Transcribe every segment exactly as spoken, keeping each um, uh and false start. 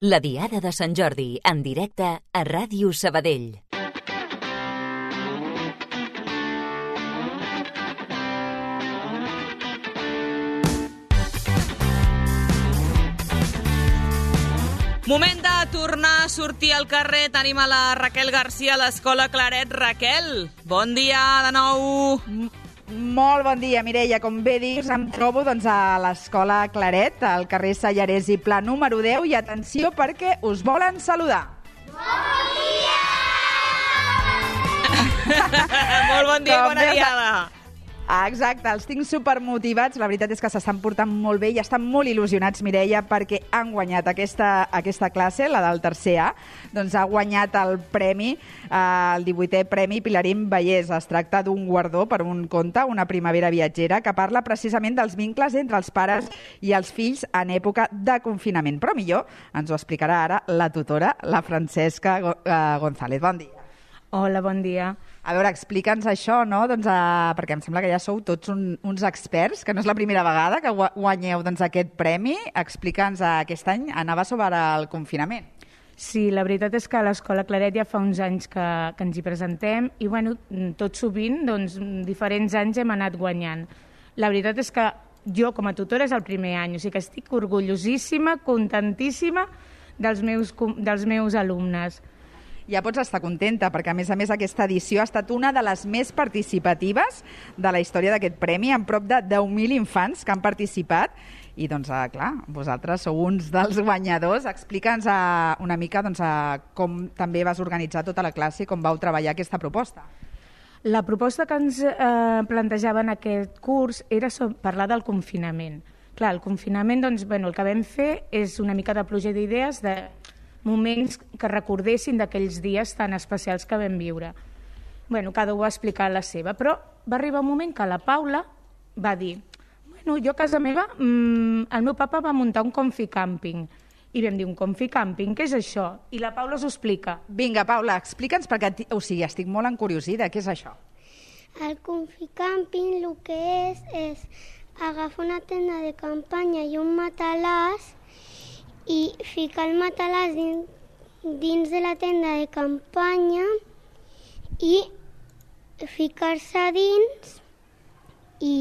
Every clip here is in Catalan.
La Diada de Sant Jordi, en directe a Ràdio Sabadell. Moment de tornar a sortir al carrer. Tenim a la Raquel Garcia a l'Escola Claret. Raquel, bon dia de nou. Molt bon dia, Mireia. Com bé dius, em trobo doncs, a l'Escola Claret, al carrer Sallarès i Pla número deu, i atenció perquè us volen saludar. Bon dia! Molt bon dia i bona diada. Ah, exacte, els tinc supermotivats. La veritat és que s'estan portant molt bé i estan molt il·lusionats, Mireia, perquè han guanyat aquesta, aquesta classe, la del tercer A. Doncs ha guanyat el premi, eh, el divuitè Premi Pilarín Vallès. Es tracta d'un guardó per un conte, Una primavera viatgera, que parla precisament dels vincles entre els pares i els fills en època de confinament. Però millor ens ho explicarà ara la tutora, la Francesca González. Bon dia. Hola, bon dia. A veure, explica'ns això, no? Doncs, uh, perquè em sembla que ja sou tots un, uns experts, que no és la primera vegada que guanyeu doncs, aquest premi. Explica'ns, uh, aquest any anava sobre el confinament. Sí, la veritat és que a l'Escola Claret ja fa uns anys que, que ens hi presentem i, bueno, tot sovint, doncs, diferents anys hem anat guanyant. La veritat és que jo, com a tutora, és el primer any, o sigui que estic orgullosíssima, contentíssima dels meus, dels meus alumnes. Ja pots estar contenta, perquè a més a més aquesta edició ha estat una de les més participatives de la història d'aquest premi, amb prop de deu mil infants que han participat. I doncs, clar, vosaltres sou uns dels guanyadors. Explica'ns una mica doncs, com també vas organitzar tota la classe i com vau treballar aquesta proposta. La proposta que ens eh, plantejava en aquest curs era parlar del confinament. Clar, el confinament, doncs, bueno, el que vam fer és una mica de pluja d'idees, de moments que recordessin d'aquells dies tan especials que vam viure. Bueno, cada un va explicar la seva, però va arribar un moment que la Paula va dir, bueno, jo a casa meva, mmm, el meu papa va muntar un conficàmping. I vam dir, un conficàmping, què és això? I la Paula us ho explica. Vinga, Paula, explica'ns, perquè o sigui, estic molt encuriosida, què és això? El conficàmping el que és és agafar una tenda de campanya i un matalàs i ficar el matalàs dins, dins de la tenda de campanya i ficar-se dins i...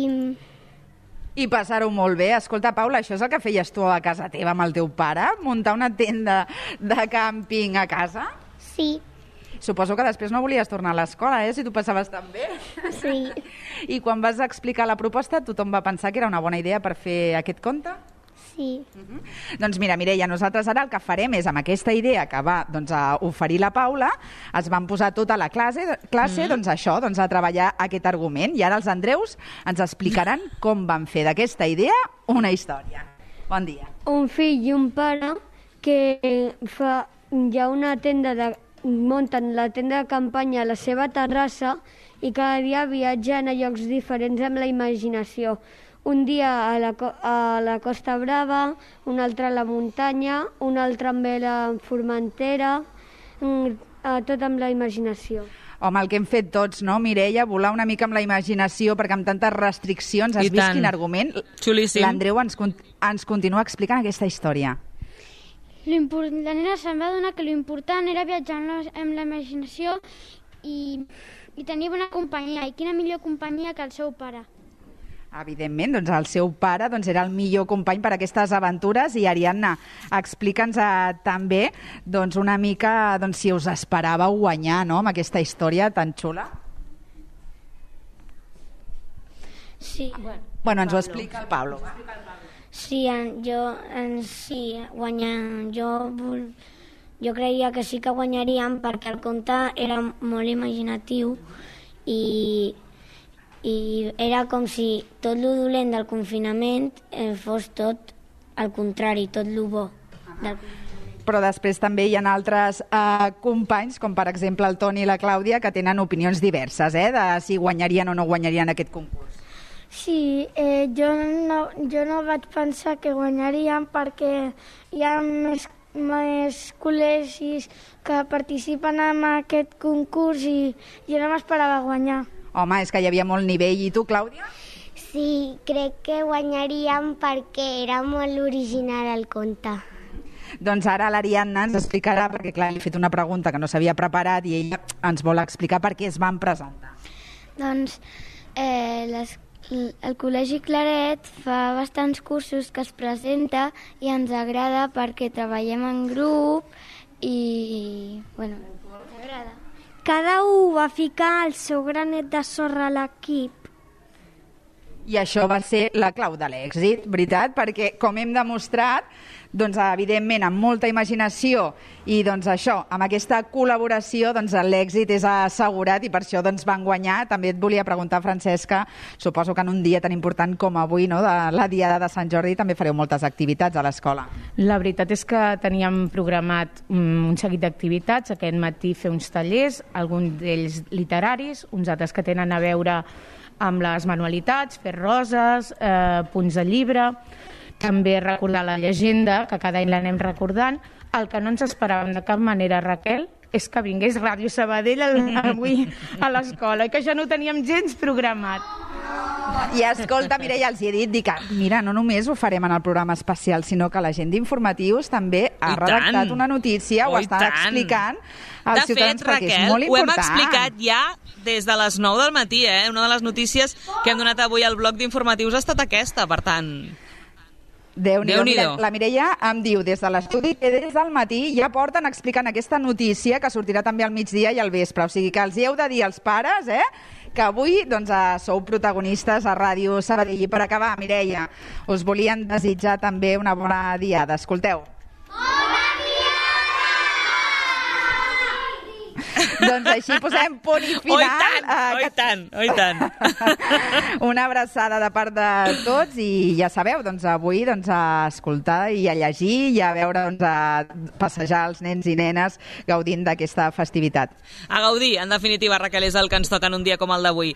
I passar-ho molt bé. Escolta, Paula, això és el que feies tu a casa teva amb el teu pare? Muntar una tenda de càmping a casa? Sí. Suposo que després no volies tornar a l'escola, eh? Si tu passaves tan bé. Sí. I quan vas explicar la proposta, tothom va pensar que era una bona idea per fer aquest conte? Sí. Uh-huh. Doncs mira, Mireia, nosaltres ara el que farem és, amb aquesta idea que va doncs, a oferir la Paula, es van posar tota la classe, classe uh-huh. doncs això, doncs, a treballar aquest argument. I ara els Andreus ens explicaran com van fer d'aquesta idea una història. Bon dia. Un fill i un pare que fa, hi ha una tenda de, munten la tenda de campanya a la seva terrassa i cada dia viatgen a llocs diferents amb la imaginació. Un dia a la, a la Costa Brava, un altre a la muntanya, un altre amb la Formentera, tot amb la imaginació. Home, el que hem fet tots, no, Mireia? Volar una mica amb la imaginació, perquè amb tantes restriccions has I vist tant. Quin argument? Xulíssim. L'Andreu ens, ens continua explicant aquesta història. La nena se'n va adonar que l'important era viatjar amb la imaginació i, i tenir bona companyia. I quina millor companyia que el seu pare. Evidentment, doncs el seu pare doncs, era el millor company per a aquestes aventures. I Ariadna, explica'ns eh, també doncs, una mica doncs, si us esperàveu guanyar, no?, amb aquesta història tan xula. Sí. Bueno, bueno ens ho explica el Pablo. Sí, jo, sí, guanyar, jo, jo creia que sí que guanyaríem perquè el conte era molt imaginatiu i i era com si tot lo dolent del confinament eh, fos tot al contrari, tot lo bo del confinament. Però després també hi ha altres eh, companys, com per exemple el Toni i la Clàudia, que tenen opinions diverses, eh, de si guanyarien o no guanyarien aquest concurs. Sí, eh, jo, no, jo no vaig pensar que guanyaríem perquè hi ha més, més col·legis que participen en aquest concurs i jo no m'esperava guanyar. Home, és que hi havia molt nivell. I tu, Clàudia? Sí, crec que guanyaríem perquè era molt original el conte. Doncs ara l'Ariadna ens explicarà, perquè clar, li he fet una pregunta que no s'havia preparat i ella ens vol explicar per què es van presentar. Doncs eh, les, el Col·legi Claret fa bastants cursos que es presenta i ens agrada perquè treballem en grup i, bueno, ens agrada. Cada un va ficar el seu granet de sorra a l'equip. I això va ser la clau de l'èxit, veritat? Perquè, com hem demostrat, doncs, evidentment, amb molta imaginació i doncs, això, amb aquesta col·laboració, doncs, l'èxit és assegurat i per això doncs, van guanyar. També et volia preguntar, Francesca, suposo que en un dia tan important com avui, no, de la Diada de Sant Jordi, també fareu moltes activitats a l'escola. La veritat és que teníem programat un seguit d'activitats. Aquest matí fer uns tallers, alguns d'ells literaris, uns altres que tenen a veure amb les manualitats, fer roses, eh, punts de llibre, també recordar la llegenda, que cada any l'anem recordant. El que no ens esperàvem de cap manera, Raquel, és que vingués Ràdio Sabadell avui a l'escola, i que això no ho teníem gens programat. I escolta, Mireia, els hi he dit, dic, mira, no només ho farem en el programa especial, sinó que la gent d'Informatius també ha redactat una notícia, ho està explicant als ciutadans, perquè és molt important. Ho hem explicat ja des de les nou del matí, eh? Una de les notícies que hem donat avui al bloc d'Informatius ha estat aquesta, per tant... Déu-n'hi-do. Mira, la Mireia em diu des de l'estudi que des del matí ja porten explicant aquesta notícia que sortirà també al migdia i al vespre. O sigui que els hi heu de dir als pares, eh, que avui doncs, sou protagonistes a Ràdio Sabadell. I per acabar, Mireia, us volien desitjar també una bona diada. Escolteu. Bona diada! Doncs així posem punt i final. Oh, i tant, oh, i tant, oh, i tant. Una abraçada de part de tots i ja sabeu, doncs avui doncs, a escoltar i a llegir i a veure, doncs, a passejar els nens i nenes gaudint d'aquesta festivitat. A gaudir, en definitiva, Raquel, és el que ens toca en un dia com el d'avui.